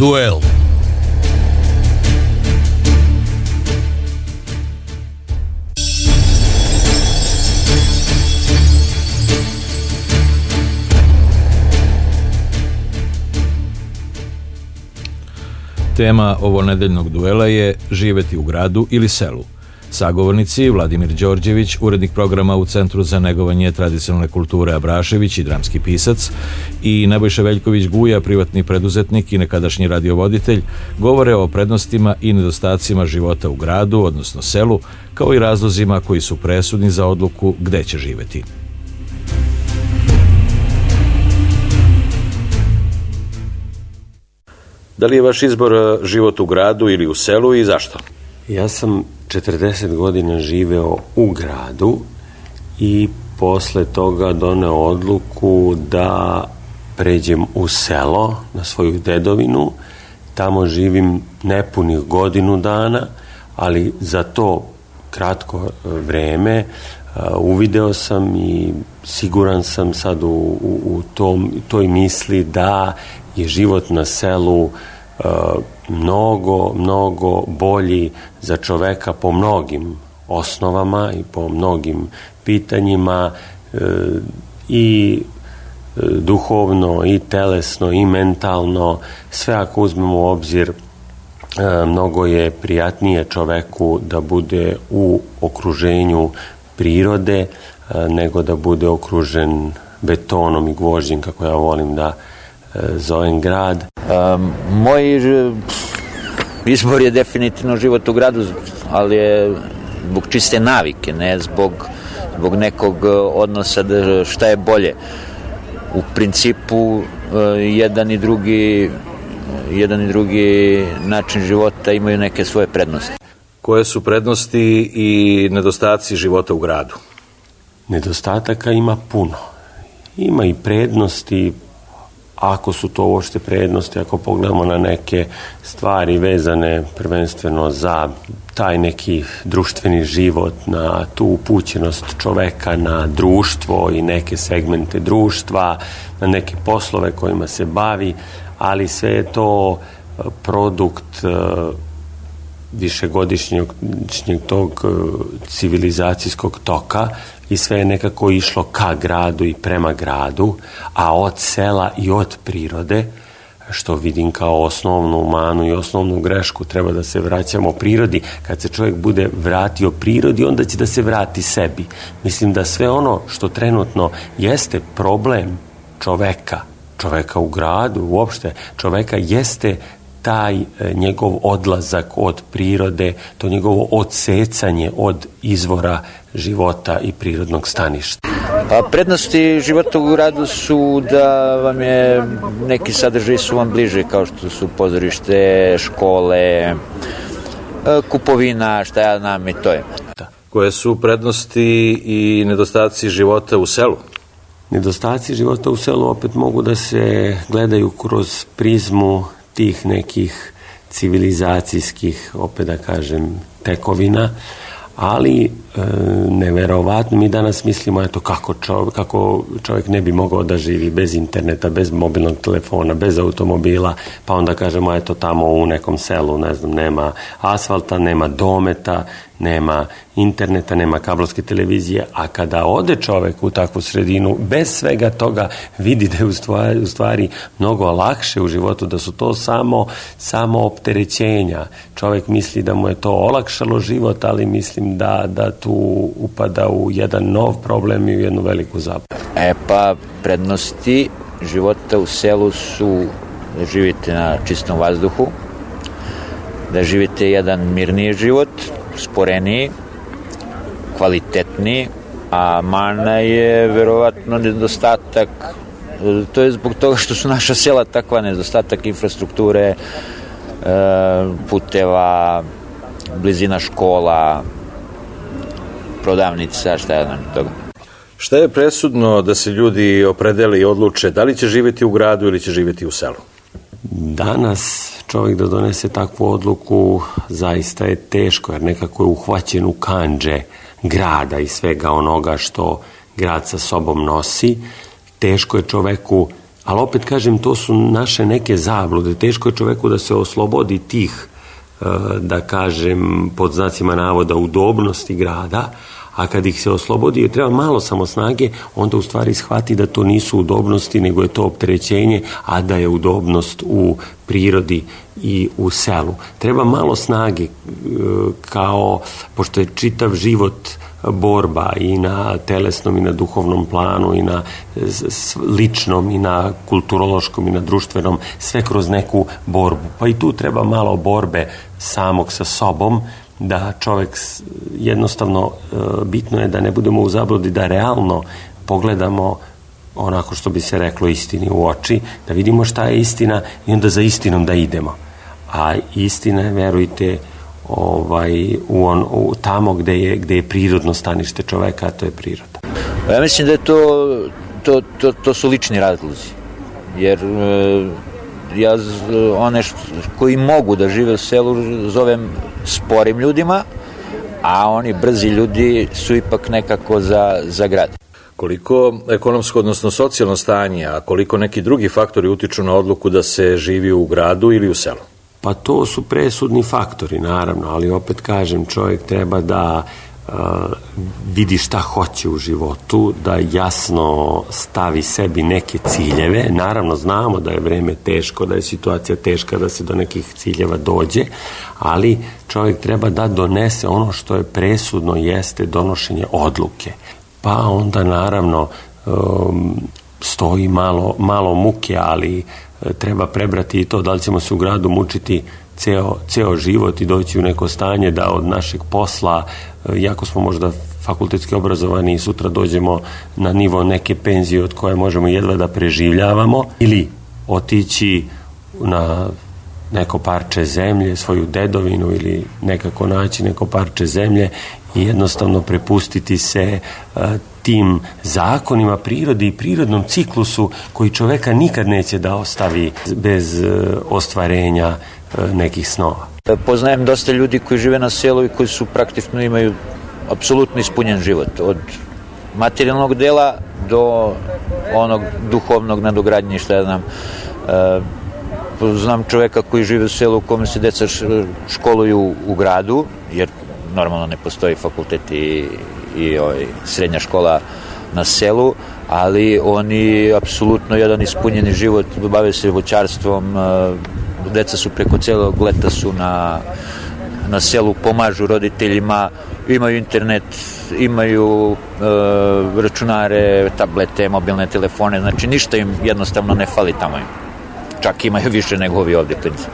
Duel. Tema ovonedeljnog duela je živeti u gradu ili selu. Sagovornici Vladimir Đorđević, urednik programa u Centru za negovanje tradicionalne kulture Abrašević i dramski pisac, i Nebojša Veljković Guja, privatni preduzetnik i nekadašnji radiovoditelj, govore o prednostima i nedostacima života u gradu, odnosno selu, kao i razlozima koji su presudni za odluku gde će živeti. Da li je vaš izbor život u gradu ili u selu i zašto? Ja sam 40 godina živeo u gradu i posle toga doneo odluku da pređem u selo, na svoju dedovinu. Tamo živim nepunih godinu dana, ali za to kratko vreme uvideo sam i siguran sam sad u toj misli da je život na selu mnogo bolji za čoveka po mnogim osnovama i po mnogim pitanjima, i duhovno i telesno i mentalno. Sve ako uzmemo u obzir, mnogo je prijatnije čoveku da bude u okruženju prirode nego da bude okružen betonom i gvožđem, kako ja volim da zovem grad. Moj izbor je definitivno život u gradu, ali je zbog čiste navike, ne zbog nekog odnosa šta je bolje. U principu jedan i drugi način života imaju neke svoje prednosti. Koje su prednosti i nedostaci života u gradu? Nedostataka ima puno. Ima i prednosti, ako su to uopšte prednosti, ako pogledamo na neke stvari vezane prvenstveno za taj neki društveni život, na tu upućenost čoveka na društvo i neke segmente društva, na neke poslove kojima se bavi, ali sve je to produkt višegodišnjeg tog civilizacijskog toka i sve je nekako išlo ka gradu i prema gradu, a od sela i od prirode, što vidim kao osnovnu manu i osnovnu grešku, treba da se vraćamo prirodi. Kad se čovjek bude vratio prirodi, onda će da se vrati sebi. Mislim da sve ono što trenutno jeste problem čoveka u gradu, uopšte čoveka, jeste taj njegov odlazak od prirode, to njegovo odsecanje od izvora života i prirodnog staništa. Prednosti života u gradu su da vam je, neki sadržaji su vam bliže, kao što su pozorište, škole, kupovina, šta ja znam, i to je. Koje su prednosti i nedostaci života u selu? Nedostaci života u selu opet mogu da se gledaju kroz prizmu tih nekih civilizacijskih, opet da kažem, tekovina, ali neverovatno, mi danas mislimo eto kako čovjek ne bi mogao da živi bez interneta, bez mobilnog telefona, bez automobila, pa onda kažemo eto tamo u nekom selu, ne znam, nema asfalta, nema dometa, nema interneta, nema kablovske televizije, a kada ode čovjek u takvu sredinu, bez svega toga vidi da je u stvari mnogo lakše u životu, da su to samo opterećenja. Čovjek misli da mu je to olakšalo život, ali mislim da tu upada u jedan nov problem i u jednu veliku zabavu. Pa prednosti života u selu su da živite na čistom vazduhu, da živite jedan mirniji život, sporeniji, kvalitetniji, a mana je verovatno nedostatak, to je zbog toga što su naša sela takva, nedostatak infrastrukture, puteva, blizina škola, prodavnica, šta je nam toga. Šta je presudno da se ljudi opredele i odluče da li će živjeti u gradu ili će živjeti u selu? Danas čovjek da donese takvu odluku zaista je teško, jer nekako je uhvaćen u kandže grada i svega onoga što grad sa sobom nosi. Teško je čoveku Ali opet kažem, to su naše neke zablude. Teško je čoveku da se oslobodi tih, da kažem, pod znacima navoda, udobnosti grada, a kad ih se oslobodi, treba malo samo snage, onda u stvari shvati da to nisu udobnosti, nego je to opterećenje, a da je udobnost u prirodi i u selu. Treba malo snage, kao, pošto je čitav život borba i na telesnom i na duhovnom planu i na ličnom i na kulturološkom i na društvenom, sve kroz neku borbu. Pa i tu treba malo borbe samog sa sobom, da čovjek jednostavno, bitno je da ne budemo u zabludi, da realno pogledamo onako što bi se reklo istini u oči, da vidimo šta je istina i onda za istinom da idemo. A istina je, verujte, tamo gde je prirodno stanište čoveka, a to je priroda. Ja mislim da je to su lični razlozi, jer ja one koji mogu da žive u selu zovem sporim ljudima, a oni brzi ljudi su ipak nekako za grad. Koliko ekonomsko, odnosno socijalno stanje, a koliko neki drugi faktori utiču na odluku da se živi u gradu ili u selu? Pa to su presudni faktori, naravno, ali opet kažem, čovjek treba da vidi šta hoće u životu, da jasno stavi sebi neke ciljeve. Naravno, znamo da je vreme teško, da je situacija teška, da se do nekih ciljeva dođe, ali čovjek treba da donese ono što je presudno, jeste donošenje odluke. Pa onda, naravno, stoji malo muke, ali treba prebrati i to da li ćemo se u gradu mučiti ceo život i doći u neko stanje da od našeg posla, jako smo možda fakultetski obrazovani i sutra dođemo na nivo neke penzije od koje možemo jedva da preživljavamo, ili otići na neko parče zemlje, svoju dedovinu, ili nekako naći neko parče zemlje i jednostavno prepustiti se tim zakonima prirode i prirodnom ciklusu koji čoveka nikad neće da ostavi bez ostvarenja nekih snova. Poznajem dosta ljudi koji žive na selu i koji su praktično imaju apsolutno ispunjen život, od materijalnog dela do onog duhovnog nadogradnje, šta ja znam. Znam čoveka koji žive u selu u kome se deca školuju u gradu, jer normalno ne postoji fakultet i srednja škola na selu, ali oni apsolutno jedan ispunjeni život, bave se voćarstvom, deca su preko celog leta su na selu, pomažu roditeljima, imaju internet, imaju računare, tablete, mobilne telefone, znači ništa im jednostavno ne fali tamo im. Čak imaju više nego ovi ovdje klinci.